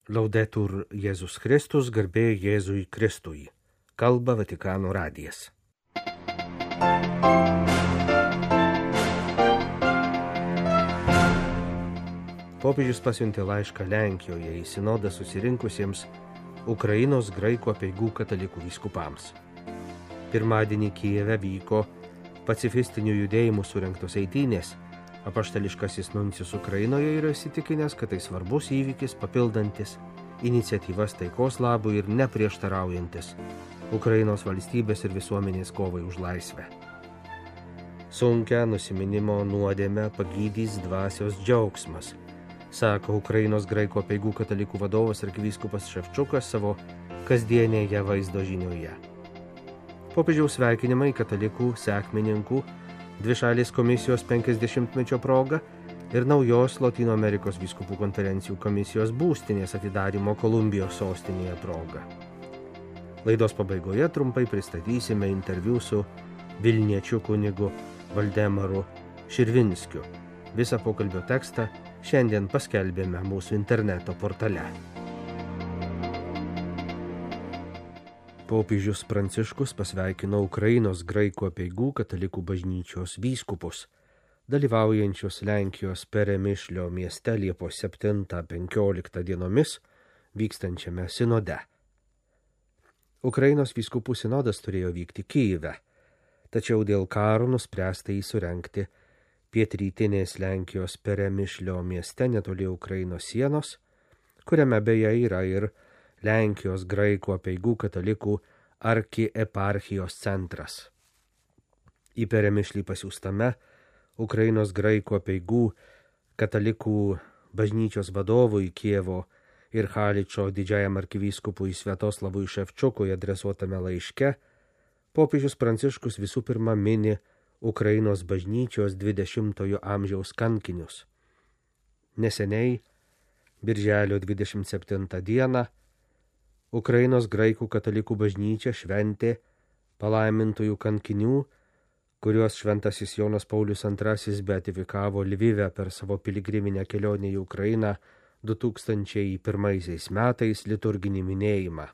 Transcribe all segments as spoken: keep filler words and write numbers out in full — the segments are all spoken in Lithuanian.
Laudetur Jėzus Kristus, garbė Jėzui Kristui. Kalba Vatikano radijas. Popiežius pasiuntė laišką Lenkijoje į sinodą susirinkusiems Ukrainos graikų apeigų katalikų vyskupams. Pirmadienį Kijeve vyko pacifistinių judėjimų surengtos eitynės. Apaštališkasis nuncijus Ukrainoje yra įsitikinęs, kad tai svarbus įvykis, papildantis iniciatyvas taikos labui ir neprieštaraujantis Ukrainos valstybės ir visuomenės kovai už laisvę. Sunkią nusiminimo nuodėmę pagydys dvasios džiaugsmas, sako Ukrainos graikų apeigų katalikų vadovas arkivyskupas Ševčukas savo kasdienėje vaizdo žinioje. Popiežiaus sveikinimai katalikų sekmininkų, dvišalės komisijos penkiasdešimtmečio proga ir naujos Lotynų Amerikos vyskupų konferencijų komisijos būstinės atidarymo Kolumbijos sostinėje proga. Laidos pabaigoje trumpai pristatysime interviu su vilniečiu kunigu Valdemaru Širvinskiu. Visą pokalbio tekstą šiandien paskelbėme mūsų interneto portale. Popiežius Pranciškus pasveikino Ukrainos graikų apeigų katalikų bažnyčios vyskupus, dalyvaujančius Lenkijos Peremišlio mieste Liepos septintą penkioliktą dienomis vykstančiame sinode. Ukrainos vyskupų sinodas turėjo vykti Kijeve, tačiau dėl karo nuspręsta jį surengti pietrytinės Lenkijos Peremišlio mieste netoli Ukrainos sienos, kuriame beje yra ir Lenkijos graikų apeigų katalikų arkieparchijos centras. Į Peremišlį pasiųstame Ukrainos graikų apeigų katalikų bažnyčios vadovui Kijevo ir Haličo didžiajam arkivyskupui Sviatoslavui Ševčukui adresuotame laiške popiežius Pranciškus visų pirma mini Ukrainos bažnyčios dvidešimtojo amžiaus kankinius. Neseniai, birželio dvidešimt septintą dieną, Ukrainos graikų katalikų bažnyčia šventė palaimintųjų kankinių, kuriuos šventasis Jonas Paulius antrasis beatifikavo Lvive per savo piligriminę kelionę į Ukrainą du tūkstančiai pirmaisiais metais liturginį minėjimą.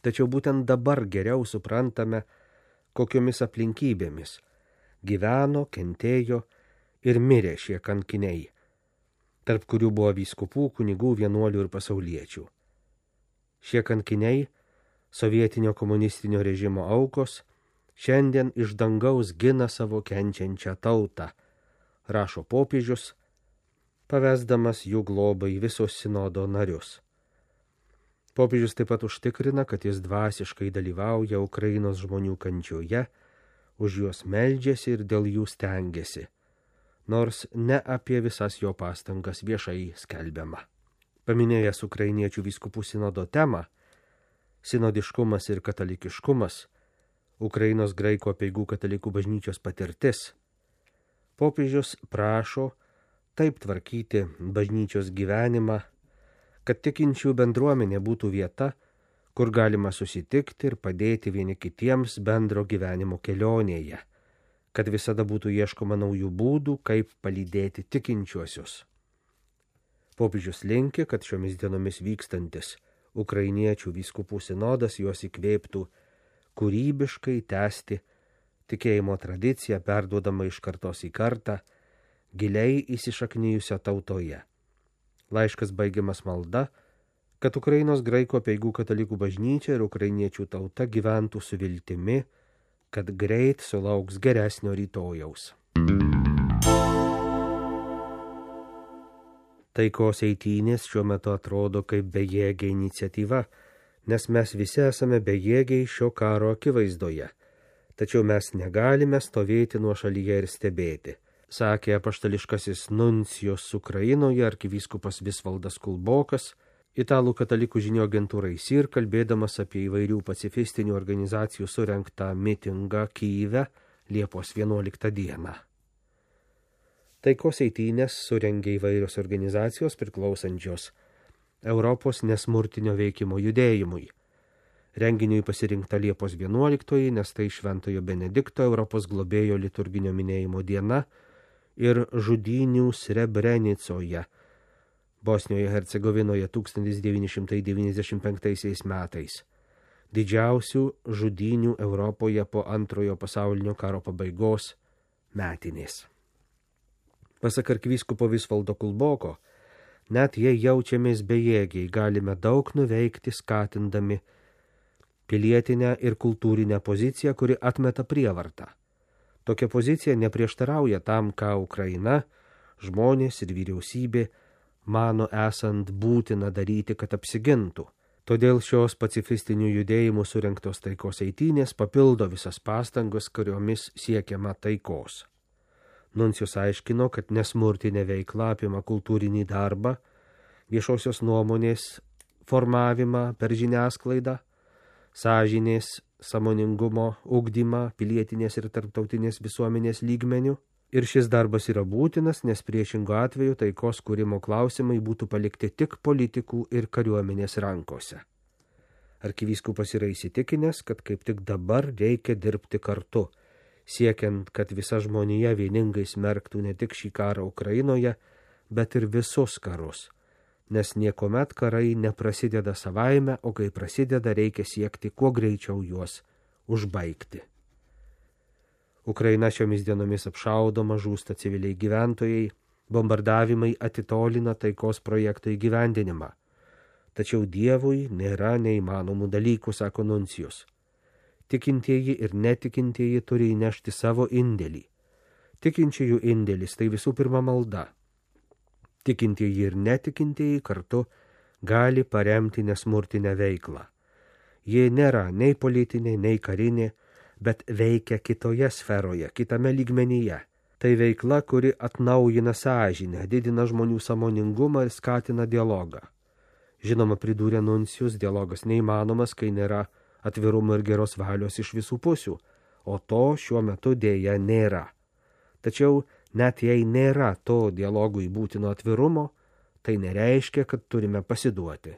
Tačiau būtent dabar geriau suprantame, kokiomis aplinkybėmis gyveno, kentėjo ir mirė šie kankiniai, tarp kurių buvo vyskupų, kunigų, vienuolių ir pasauliečių. Šie kankiniai, sovietinio komunistinio režimo aukos, šiandien iš dangaus gina savo kenčiančią tautą, rašo popiežius, pavesdamas jų globai visos sinodo narius. Popiežius taip pat užtikrina, kad jis dvasiškai dalyvauja Ukrainos žmonių kančioje, už juos meldžiasi ir dėl jų stengiasi, nors ne apie visas jo pastangas viešai skelbiama. Paminėjęs ukrainiečių vyskupų sinodo temą, sinodiškumas ir katalikiškumas, Ukrainos graikų apeigų katalikų bažnyčios patirtis, popiežius prašo taip tvarkyti bažnyčios gyvenimą, kad tikinčių bendruomenė būtų vieta, kur galima susitikti ir padėti vieni kitiems bendro gyvenimo kelionėje, kad visada būtų ieškoma naujų būdų, kaip palydėti tikinčiuosius. Popiežius linki, kad šiomis dienomis vykstantis ukrainiečių vyskupų sinodas juos įkvėptų kūrybiškai tęsti tikėjimo tradiciją perduodama iš kartos į kartą, giliai įsišaknijusią tautoje. Laiškas baigiamas malda, kad Ukrainos graikų apeigų katalikų bažnyčia ir ukrainiečių tauta gyventų su viltimi, kad greit sulauks geresnio rytojaus. Taikos eitynės šiuo metu atrodo kaip bejėgė iniciatyva, nes mes visi esame bejėgiai šio karo akivaizdoje. Tačiau mes negalime stovėti nuošalyje ir stebėti, sakė apaštališkasis nuncijus Ukrainoje arkivyskupas Visvaldas Kulbokas, italų katalikų žinių agentūrai S I R, kalbėdamas apie įvairių pacifistinių organizacijų surengtą mitingą Kijeve Liepos vienuoliktą dieną. Taikos eitynės surengė įvairios organizacijos priklausančios Europos nesmurtinio veikimo judėjimui. Renginiui pasirinkta Liepos vienuoliktoji, nes tai Šventojo Benedikto Europos globėjo liturginio minėjimo diena ir žudynių Srebrenicoje Bosnijoje Hercegovinoje tūkstantis devyni šimtai devyniasdešimt penktaisiais metais, didžiausių žudynių Europoje po antrojo pasaulinio karo pabaigos metinės. Pasak arkivyskupo Visvaldo Kulboko, net jei jaučiamės bejėgiai, galime daug nuveikti skatindami pilietinę ir kultūrinę poziciją, kuri atmeta prievartą. Tokia pozicija neprieštarauja tam, ką Ukraina, žmonės ir vyriausybė mano esant būtina daryti, kad apsigintų. Todėl šios pacifistinių judėjimų surengtos taikos eitynės papildo visas pastangas, kuriomis siekiama taikos. Nuncijus aiškino, kad nesmurtinė veikla apima kultūrinį darbą, viešosios nuomonės formavimą per žiniasklaidą, sąžinės, sąmoningumo ugdymą pilietinės ir tarptautinės visuomenės lygmenių. Ir šis darbas yra būtinas, nes priešingo atveju taikos kūrimo klausimai būtų palikti tik politikų ir kariuomenės rankose. Arkivyskupas yra įsitikinęs, kad kaip tik dabar reikia dirbti kartu, siekiant, kad visa žmonija vieningai smerktų ne tik šį karą Ukrainoje, bet ir visus karus, nes niekuomet karai neprasideda savaime, o kai prasideda, reikia siekti kuo greičiau juos užbaigti. Ukraina šiomis dienomis apšaudoma, žūsta civiliai gyventojai, bombardavimai atitolina taikos projekto įgyvendinimą. Tačiau Dievui nėra neįmanomų dalykų, sako Nuncijus. Tikintieji ir netikintieji turi įnešti savo indėlį. Tikinčiųjų indėlis tai visų pirma malda. Tikintieji ir netikintieji kartu gali paremti nesmurtinę veiklą. Jie nėra nei politinė, nei karinė, bet veikia kitoje sferoje, kitame lygmenyje. Tai veikla, kuri atnaujina sąžinę, didina žmonių sąmoningumą ir skatina dialogą. Žinoma, pridūrė Nuncijus, dialogas neįmanomas, kai nėra atvirumo ir geros valios iš visų pusių, o to šiuo metu dėja nėra. Tačiau net jei nėra to dialogui būtino atvirumo, tai nereiškia, kad turime pasiduoti.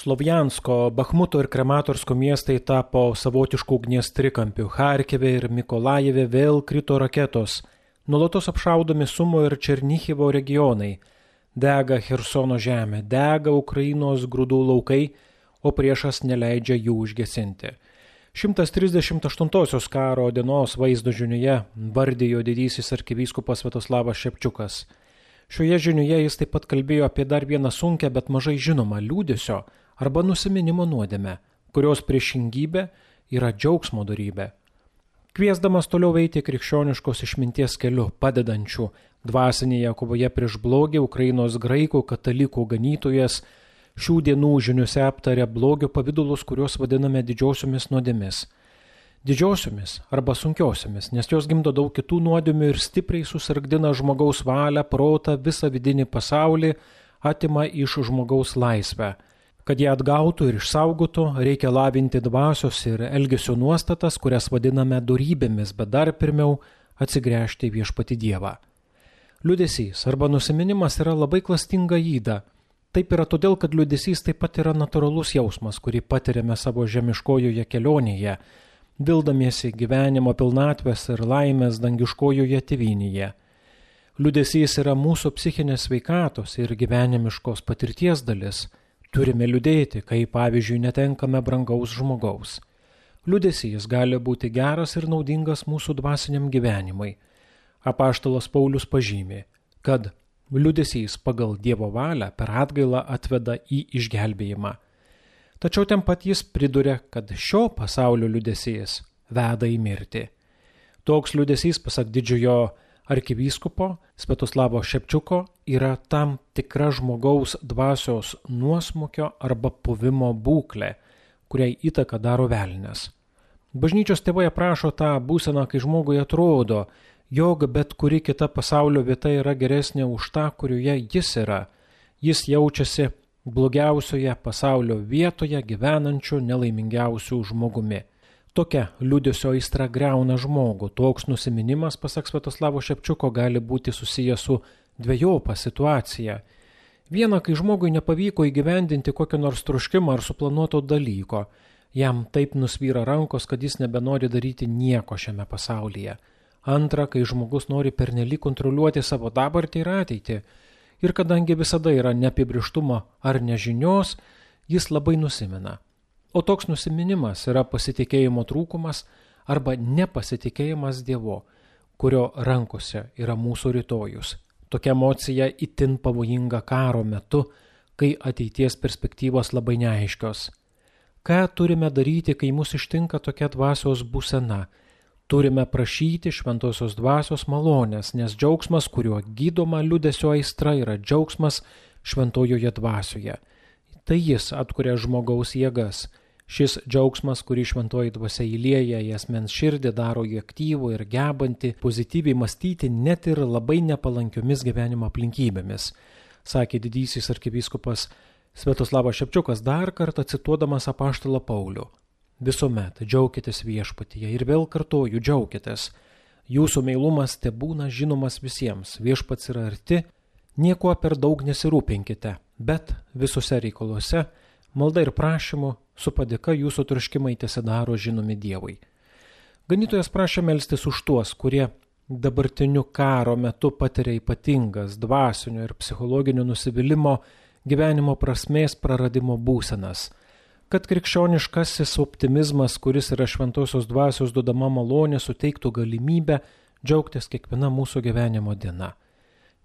Slovjansko, Bachmuto ir Krematorsko miestai tapo savotiškų ugnies trikampių. Charkive ir Mikolajeve vėl krito raketos. Nuolatos apšaudomi Sumo ir Černichivo regionai. Dega Chersono žemė, dega Ukrainos grūdų laukai, o priešas neleidžia jų užgesinti. šimtas trisdešimt aštuntosios karo dienos vaizdo žinioje vardijo didysis arkivyskupas Sviatoslavas Šepčiukas. Šioje žinioje jis taip pat kalbėjo apie dar vieną sunkią, bet mažai žinomą liūdesio arba nusiminimo nuodėmę, kurios priešingybė yra džiaugsmo dorybė. Kviesdamas toliau eiti krikščioniškos išminties keliu, padedančių dvasinėje kovoje prieš blogį, Ukrainos graikų katalikų ganytojas šių dienų žiniuose aptarė blogio pavidalus, kuriuos vadiname didžiosiomis nuodėmis. Didžiosiomis arba sunkiosiomis, nes jos gimdo daug kitų nuodėmių ir stipriai susargdina žmogaus valią, protą, visą vidinį pasaulį, atima iš žmogaus laisvę. Kad ją atgautų ir išsaugotų, reikia lavinti dvasios ir elgesio nuostatas, kurias vadiname dorybėmis, bet dar pirmiau atsigręžti į viešpatį Dievą. Liūdesys arba nusiminimas yra labai klastinga yda. Taip yra todėl, kad liūdesys taip pat yra natūralus jausmas, kurį patiriame savo žemiškojoje kelionėje, vildamiesi gyvenimo pilnatvės ir laimės dangiškojoje tėvynėje. Liūdesys yra mūsų psichinės sveikatos ir gyvenimiškos patirties dalis. Turime liūdėti, kai pavyzdžiui netenkame brangaus žmogaus. Liūdesys gali būti geras ir naudingas mūsų dvasiniam gyvenimui. Apaštalas Paulius pažymi, kad liūdesys pagal Dievo valią per atgailą atveda į išgelbėjimą. Tačiau ten pat jis priduria, kad šio pasaulio liūdesys veda į mirtį. Toks liūdesys, pasak didžiojo arkivyskupo Sviatoslavo Šepčiuko, yra tam tikra žmogaus dvasios nuosmukio arba puvimo būklė, kuriai įtaką daro velnias. Bažnyčios tėvai aprašo tą būseną, kai žmogui atrodo, jog bet kuri kita pasaulio vieta yra geresnė už tą, kurioje jis yra. Jis jaučiasi blogiausioje pasaulio vietoje gyvenančiu nelaimingiausiu žmogumi. Tokia liūdesio aistra greuna žmogų. Toks nusiminimas, pasak Sviatoslavo Šepčiuko, gali būti susijęs su dvejopa situacija. Viena, kai žmogui nepavyko įgyvendinti kokio nors troškimo ar suplanuoto dalyko. Jam taip nusvyra rankos, kad jis nebenori daryti nieko šiame pasaulyje. Antra, kai žmogus nori pernelyg kontroliuoti savo dabartį ir ateitį. Ir kadangi visada yra neapibrištumo ar nežinios, jis labai nusimena. O toks nusiminimas yra pasitikėjimo trūkumas arba nepasitikėjimas Dievu, kurio rankose yra mūsų rytojus. Tokia emocija itin pavojinga karo metu, kai ateities perspektyvos labai neaiškios. Ką turime daryti, kai mus ištinka tokia dvasios būsena? Turime prašyti šventosios dvasios malonės, nes džiaugsmas, kuriuo gydoma liūdesio aistra, yra džiaugsmas šventojoje dvasioje. Tai jis atkuria žmogaus jėgas. Šis džiaugsmas, kurį šventoji dvasia įlieja į asmens širdį, daro jį aktyvų ir gebantį pozityviai mąstyti net ir labai nepalankiomis gyvenimo aplinkybėmis, sakė didysis arkivyskupas Sviatoslavas Šepčiukas, dar kartą cituodamas apaštalą Paulių. Visuomet džiaukitės viešpatyje ir vėl kartoju, džiaukitės. Jūsų meilumas tebūna žinomas visiems, viešpats yra arti, niekuo per daug nesirūpinkite, bet visose reikaluose, malda ir prašymu, su padėka jūsų troškimai tesidaro žinomi Dievui. Ganytojas prašė melstis už tuos, kurie dabartiniu karo metu patiria ypatingas dvasinio ir psichologinio nusivylimo, gyvenimo prasmės praradimo būsenas, kad krikščioniškasis optimizmas, kuris yra šventosios dvasios duodama malonė, suteiktų galimybę džiaugtis kiekviena mūsų gyvenimo diena.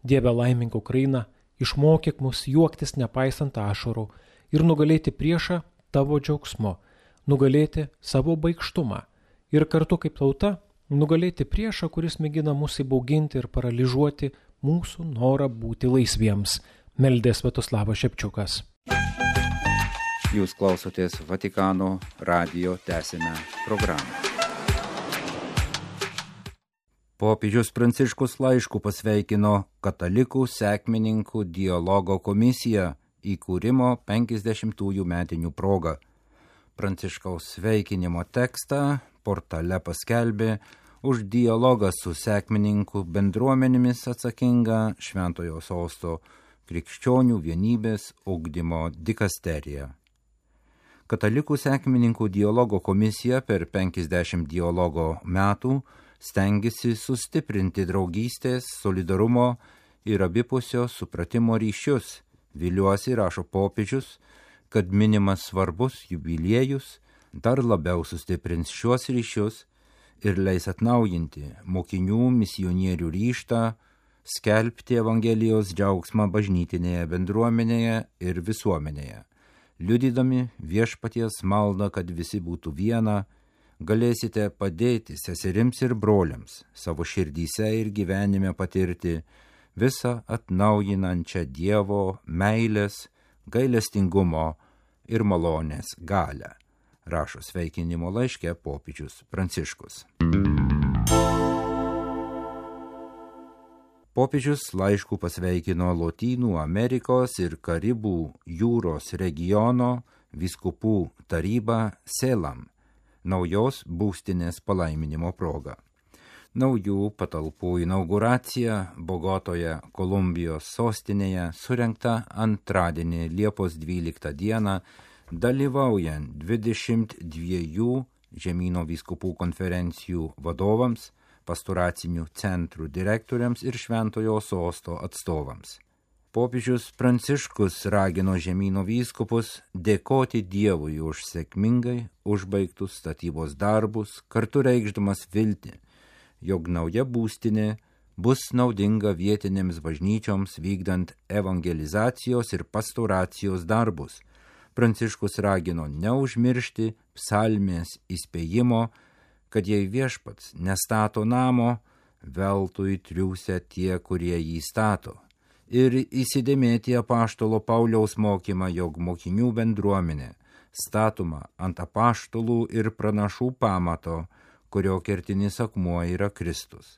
Dieve, laimink Ukrainą, išmokyk mus juoktis nepaisant ašarų ir nugalėti priešą tavo džiaugsmu, nugalėti savo baikštumą ir kartu kaip tauta nugalėti priešą, kuris mėgina mus įbauginti ir paralyžuoti mūsų norą būti laisviems, meldė Sviatoslavas Šepčiukas. Jūs klausotės Vatikano radijo tęsinę programą. Popiežius Pranciškus laišku pasveikino Katalikų sekmininkų dialogo komisiją įkūrimo penkiasdešimtųjų metinių proga. Pranciškaus sveikinimo tekstą portale paskelbė už dialogą su sekmininkų bendruomenėmis atsakinga Šventojo Sosto krikščionių vienybės ugdymo dikasterija. Katalikų sekmininkų dialogo komisija per penkiasdešimt dialogo metų stengiasi sustiprinti draugystės, solidarumo ir abipusio supratimo ryšius. Viliuosi, rašo popiežius, kad minimas svarbus jubiliejus dar labiau sustiprins šiuos ryšius ir leis atnaujinti mokinių misionierių ryžtą skelbti Evangelijos džiaugsmą bažnytinėje bendruomenėje ir visuomenėje. Liudydami viešpaties maldą, kad visi būtų viena, galėsite padėti seserims ir broliams savo širdyse ir gyvenime patirti visą atnaujinančią Dievo meilės, gailestingumo ir malonės galią, rašo sveikinimo laiške popiežius Pranciškus. Popiežius laišku pasveikino Lotynų Amerikos ir Karibų jūros regiono vyskupų tarybą Selam, naujos būstinės palaiminimo proga. Naujų patalpų inauguracija Bogotoje, Kolumbijos sostinėje, surengta antradienį Liepos dvyliktą dieną, dalyvaujant dvidešimt dviejų žemyno vyskupų konferencijų vadovams, pastoracinių centrų direktoriams ir Šventojo Sosto atstovams. Popiežius Pranciškus ragino žemyno vyskupus dėkoti Dievui už sėkmingai užbaigtus statybos darbus, kartu reikšdamas viltį, jog nauja būstinė bus naudinga vietinėms bažnyčioms vykdant evangelizacijos ir pastoracijos darbus. Pranciškus ragino neužmiršti psalmės įspėjimo, kad jei viešpats nestato namo, veltui triūsia tie, kurie jį stato, ir įsidėmėti apaštalo Pauliaus mokymą, jog mokinių bendruomenė statoma ant apaštalų ir pranašų pamato, kurio kertinis akmuo yra Kristus.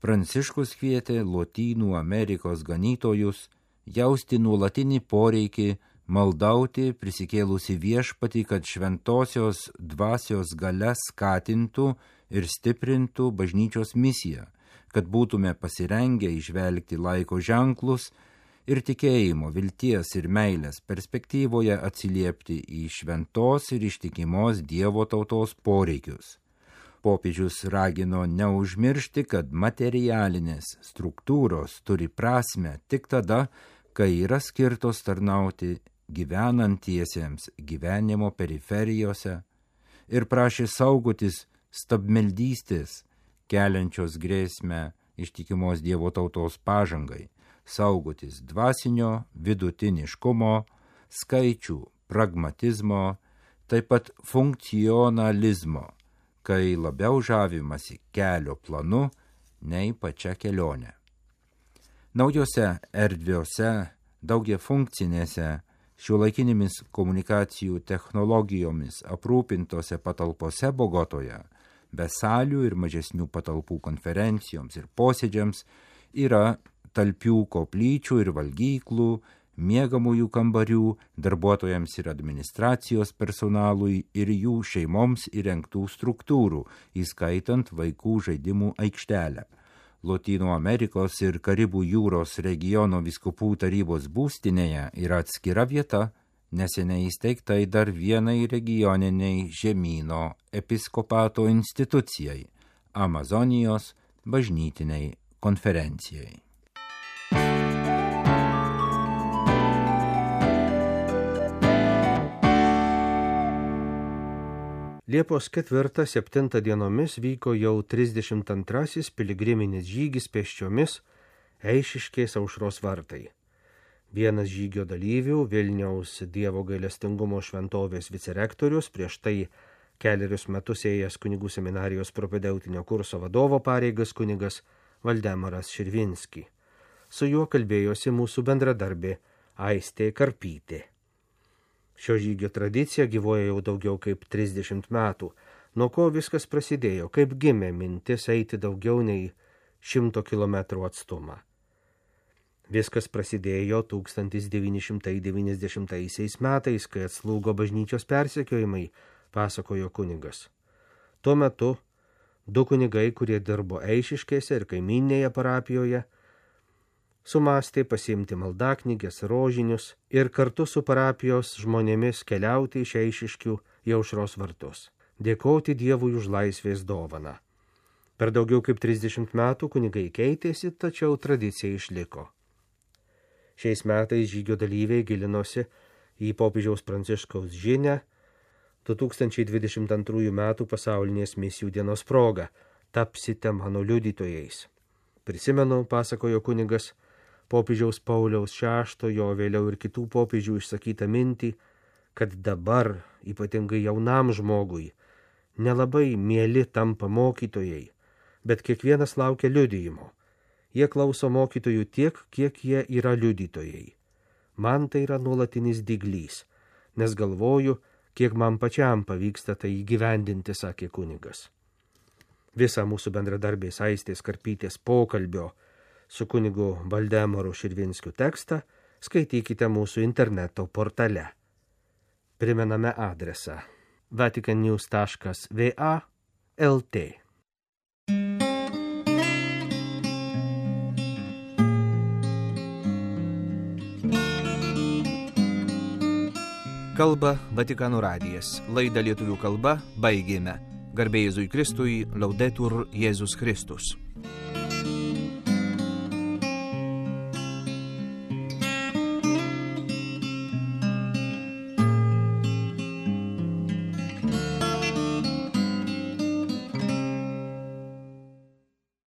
Pranciškus kvietė Lotynų Amerikos ganytojus jausti nuolatinį poreikį maldauti prisikėlusi viešpatį, kad šventosios dvasios galia skatintų ir stiprintų bažnyčios misiją, kad būtume pasirengę įžvelgti laiko ženklus ir tikėjimo, vilties ir meilės perspektyvoje atsiliepti į šventos ir ištikimos Dievo tautos poreikius. Popiežius ragino neužmiršti, kad materialinės struktūros turi prasmę tik tada, kai yra skirtos tarnauti gyvenantiesiems gyvenimo periferijose, ir prašė saugotis stabmeldystės, keliančios grėsmę ištikimos Dievo tautos pažangai, saugotis dvasinio vidutiniškumo, skaičių pragmatizmo, taip pat funkcionalizmo, kai labiau žavimasi kelio planu nei pačia kelionė. Naujose erdviose, daugiafunkcinėse, šiuolaikinėmis komunikacijų technologijomis aprūpintose patalpose Bogotoje, be salių ir mažesnių patalpų konferencijoms ir posėdžiams, yra talpių koplyčių ir valgyklų, miegamųjų kambarių, darbuotojams ir administracijos personalui ir jų šeimoms įrengtų struktūrų, įskaitant vaikų žaidimų aikštelę. Lotynų Amerikos ir Karibų jūros regiono vyskupų tarybos būstinėje yra atskira vieta, neseniai įsteigtai dar vienai regioniniai žemyno episkopato institucijai – Amazonijos bažnytiniai konferencijai. Liepos ketvirtą septintą dienomis vyko jau trisdešimt antrasis piligriminis žygis pėsčiomis Eišiškės Aušros vartai. Vienas žygio dalyvių, Vilniaus Dievo gailestingumo šventovės vicerektorius, prieš tai kelerius metus ėjęs kunigų seminarijos propedeutinio kurso vadovo pareigas kunigas Valdemaras Širvinski. Su juo kalbėjosi mūsų bendradarbė Aistė Karpytė. Šio žygio tradicija gyvoja jau daugiau kaip trisdešimt metų, nuo ko viskas prasidėjo, kaip gimė mintis eiti daugiau nei šimto kilometrų atstumą. Viskas prasidėjo tūkstantis devyni šimtai devyniasdešimtaisiais metais, kai atslūgo bažnyčios persekiojimai, pasakojo kunigas. Tuo metu du kunigai, kurie dirbo Eišiškėse ir kaiminėje parapijoje, sumastė pasiimti maldaknygės, rožinius ir kartu su parapijos žmonėmis keliauti iš Eišiškių į Aušros vartus, dėkoti Dievui už laisvės dovaną. Per daugiau kaip trisdešimt metų kunigai keitėsi, tačiau tradicija išliko. Šiais metais žygio dalyviai gilinosi į popiežiaus Pranciškaus žinią du tūkstančiai dvidešimt antrųjų metų pasaulinės misijų dienos proga – tapsite mano liudytojais. Prisimenu, pasakojo kunigas, popiežiaus Pauliaus šeštojo, vėliau ir kitų popiežių išsakytą mintį, kad dabar, ypatingai jaunam žmogui, nelabai mieli tampa mokytojai, bet kiekvienas laukia liudijimo. Jie klauso mokytojų tiek, kiek jie yra liudytojai. Man tai yra nuolatinis dyglys, nes galvoju, kiek man pačiam pavyksta tai įgyvendinti, sakė kunigas. Visą mūsų bendradarbės Aistės Karpytės pokalbio su kunigu Valdemaru Širvinskiu tekstą skaitykite mūsų interneto portale. Primename adresą vaticannews taškas va taškas lt. Kalba Vatikano radijas. Laidą lietuvių kalba baigėme. Garbė Jėzui Kristui, Laudetur Jėzus Kristus.